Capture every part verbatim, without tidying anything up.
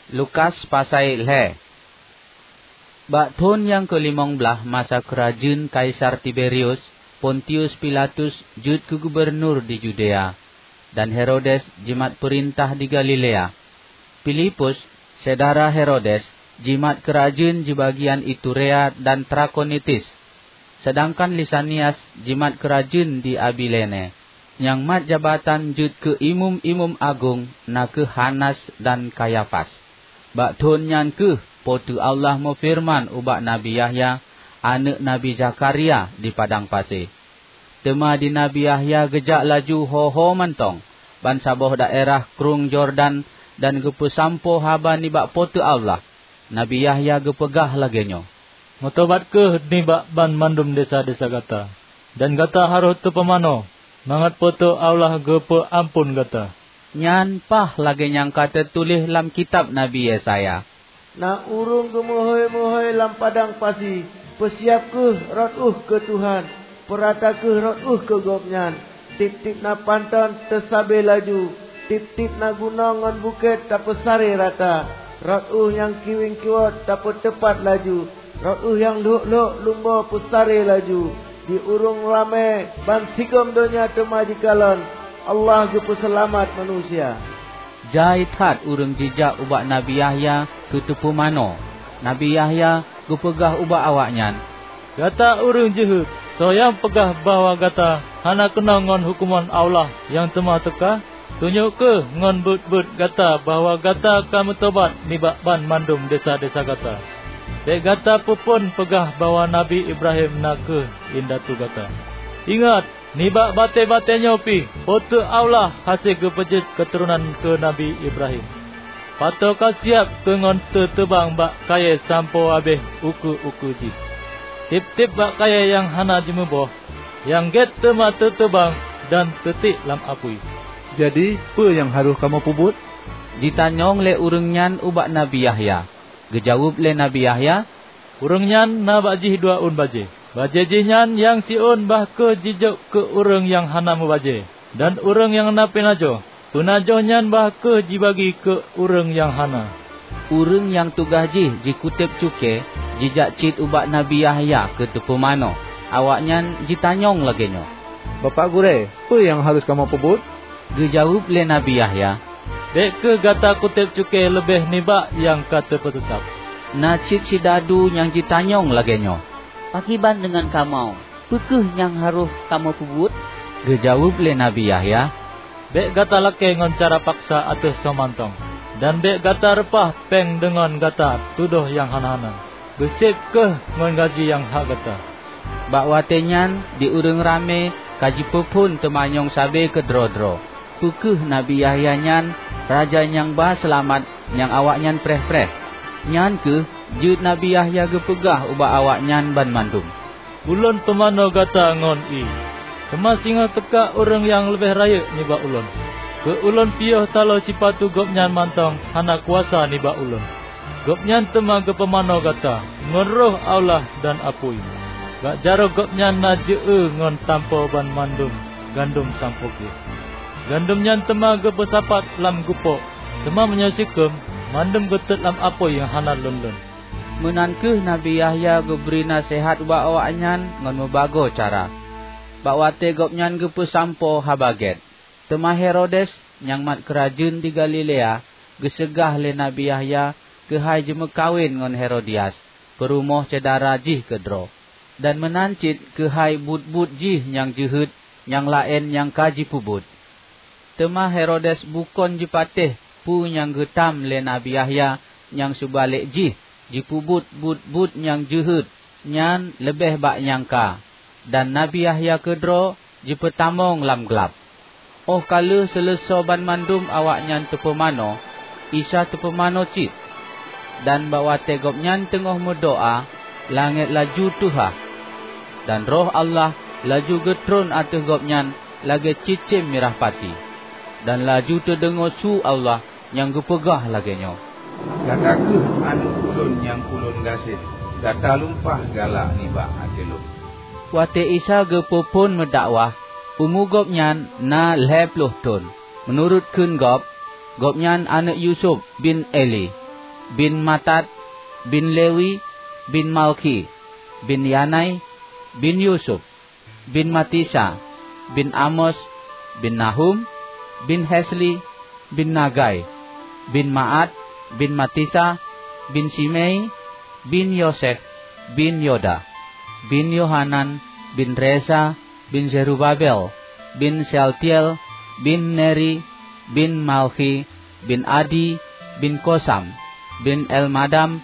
Lukas pasai lhée. Bak thon nyang keulimong blaih masa keurajeuen Kaisar Tiberius, Pontius Pilatus jeuet keu gubunur di Yudea, dan Herodes jimat peurintah di Galilea. Filipus, syedara Herodes, jimat keurajeuen di bagian Iturea dan Trakonitis, seudangkan Lisanias jimat keurajeuen di Abilene. Nyang mat jabatan jeuet keu imeum-imeum agong na kheueh Hanas dan Kayafas. Bak thon nyan kheueh Po teu Allah meufeureuman ubak Nabi Yahya, aneuëk Nabi Zakharia, di padang pasi. Teuma di Nabi Yahya geujak laju ho-ho mantong bansaboh daerah Krueng Yordan dan geupeusampoe haba nibak Po teu Allah. Nabi Yahya geupeugah lagée nyoe, "Meutobat kheueh nibak banmandum desya-desya gata, dan gata harôh teupumanö, mangat Po teu Allah geupeu amphon gata." Nyan paih lagée nyang ka teutuléh lam kitab Nabi Yesaya, "Na ureuëng geumeuhôi-meuhôi lam padang pasi, 'Peusiab kheueh rot ueh keu Tuhan, peurata kheueh rot ueh keu Gobnyan. Tieb-tieb na panton teusabe laju, tieb-tieb na gunong ngon bukét tapeusaré rata. Rot ueh nyang kiweng kiwot tapeuteupat laju, rot ueh nyang lhok-lhok lumbo peusaré laju. Di ureuëng ramé bansigom donya teuma jikalon Allah geupeuseulamat manusia.'" Jai that ureuëng jijak ubak Nabi Yahya keu teupumanö. Nabi Yahya geupeugah ubak awaknyan, "Gata ureuëng jeuhet! Soe nyang peugah bahwa gata hana keunong ngon huköman Allah nyang teuma teuka? Tunyok kheueh ngon buet-buet gata bahwa gata ka meutobat nibak banmandum desya-desya gata. Bék gata peuphon peugah bahwa Nabi Ibrahim na kheueh indatu gata. Ingat, nibak batée-batée nyoe pih Po teu Allah hase geupeujeuet keuturonan keu Nabi Ibrahim. Pato ka siab keu ngon teuteubang bak kayée sampoe habéh ukeue-ukeue jih. Tieb-tieb bak kayée nyang hana jimuboh, nyang gét teuma teuteubang dan teutiek lam apui." "Jadi, peue nyang harôh kamoe peubuet?" jitanyong lé ureuëng nyan ubak Nabi Yahya. Geujaweueb lé Nabi Yahya, "Ureuëng nyan na bak jih dua ôn bajée. Bajée jih nyan nyang siôn bah kheueh jijok keu ureuëng nyang hana meubajée, dan ureuëng nyang na peunajoh. Peunajoh nyan bah kheueh jibagi keu ureuëng nyang hana." Ureuëng nyang tugaih jih jikutéb cukée jijak cit ubak Nabi Yahya keu teupumanö. Awaknyan jitanyong lagée nyoe, "Bapak Gurée, peue nyang harôh kamoe peubuet?" Geujaweueb lé Nabi Yahya, "Bék kheueh gata kutéb cukée leubeh nibak nyang ka teupeuteutab." Na cit sidadu nyang jitanyong lagée nyoe, "Pakriban deungon kamoe? Peu kheueh nyang harôh kamoe peubuet?" Geujaweueb lé Nabi Yahya, "Bék gata lakée ngon cara paksa ateueh soe mantong, dan bék gata reupah péng deungon gata tudoh nyang hana-hana. Beuseb kheueh ngon gaji nyang hak gata." Bak watée nyan di ureuëng ramé ka jipeuphon teumanyong sabe keudroe-droe, peu kheueh Nabi Yahya nyan raja nyang ba seulamat nyang awaknyan preh-preh. Nyan kheueh jeuet Nabi Yahya geupeugah ubak awaknyan banmandum, "Ulôn pumanö gata ngon ié, teuma singoh teuka ureuëng nyang leubeh rayeuk nibak ulôn. Keu ulôn piôh taloe sipatu gobnyan mantong hana kuasa nibak ulôn. Gobnyan teuma geupumanö gata ngon Roh Allah dan apui. Bak jaroe gobnyan na jeu-eu ngon tampo banmandum gandom sampoe gleh. Gandom nyan teuma geupeusapat lam gupok, teuma meunyoe sikheum, mandum geutot lam apui nyang hana lon-lon." Meunan kheueh Nabi Yahya geubri naseuhat ubak awaknyan ngon meubagoe cara, bak watée gobnyan geupeusampoe Haba Gét. Teuma Herodes nyang mat keurajeuen di Galilea geuseugah lé Nabi Yahya keuhai jimeukawen ngon Herodias, peurumoh syedara jih keudroe, dan meunan cit keuhai buet-buet jih nyang jeuhet nyang laén nyang ka jipeubuet. Teuma Herodes bukon jipatéh peue nyang geutam lé Nabi Yahya, nyang seubalek jih jipeubuet buet-buet nyang jeuhet nyan leubeh bak nyang ka, dan Nabi Yahya keudroe jipeutamong lam glab. Óh ka lheueh seuleusoe banmandum awaknyan teupumanö, Isa teupumanö cit, dan bak watée gobnyan teungoh meudoá, langét laju teuhah, dan Roh Allah laju geutron ateueh gobnyan lagée cicém mirah pati. Dan laju teudeungoe su Allah nyang geupeugah lagée nyoe, "Gata kheueh Aneuëk Ulôn nyang Ulôn gasien, gata lumpah galak nibak até Lôn." Watée Isa geupeuphon meudakwah, umu Gobnyan na lhée ploh thon. Meunurot kheun gob, Gobnyan aneuëk Yusuf bin Eli. bin Matat, bin Lewi, bin Malkhi, bin Yanai, bin Yusuf, bin Matisa, bin Amos, bin Nahum, bin Hesli, bin Nagai, bin Maat, bin Matisa, bin Simei, bin Yosef, bin Yoda, bin Yohanan, bin Resa, bin Zerubabel, bin Sealtiel, bin Neri, bin Malkhi, bin Adi, bin Kosam, bin Elmadam,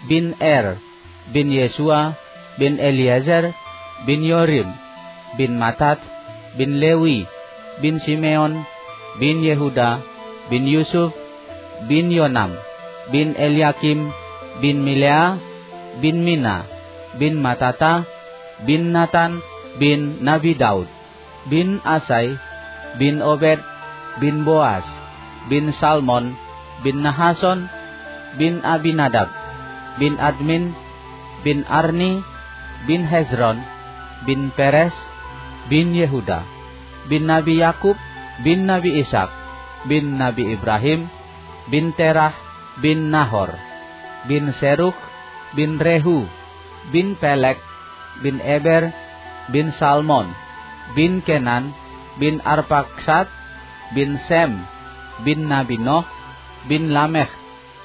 bin Er, bin Yesua, bin Eliezer, bin Yorim, bin Matat, bin Lewi, bin Simeon, bin Yehuda, bin Yusuf, bin Yonam, bin Eliakim, bin Milea, bin Mina, bin Matata, bin Natan, bin Nabi Daud, bin Asai, bin Obed, bin Boas, bin Salmon, bin Nahason, bin Abinadab, bin Admin, bin Arni, bin Hezron, bin Peres, bin Yehuda, bin Nabi Yakub, bin Nabi Ishak, bin Nabi Ibrahim, bin Terah, bin Nahor, bin Serukh, bin Rehu, bin Pelek, bin Eber, bin Salmon, bin Kenan, bin Arpaksad, bin Sem, bin Nabi Noh, bin Lamekh,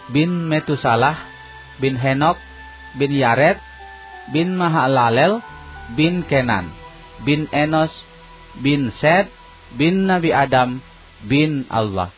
bin Metusalah, bin Henokh, bin Yared, bin Mahalalel, bin Kenan, bin Enos, bin Set, bin Nabi Adam, bin Allah.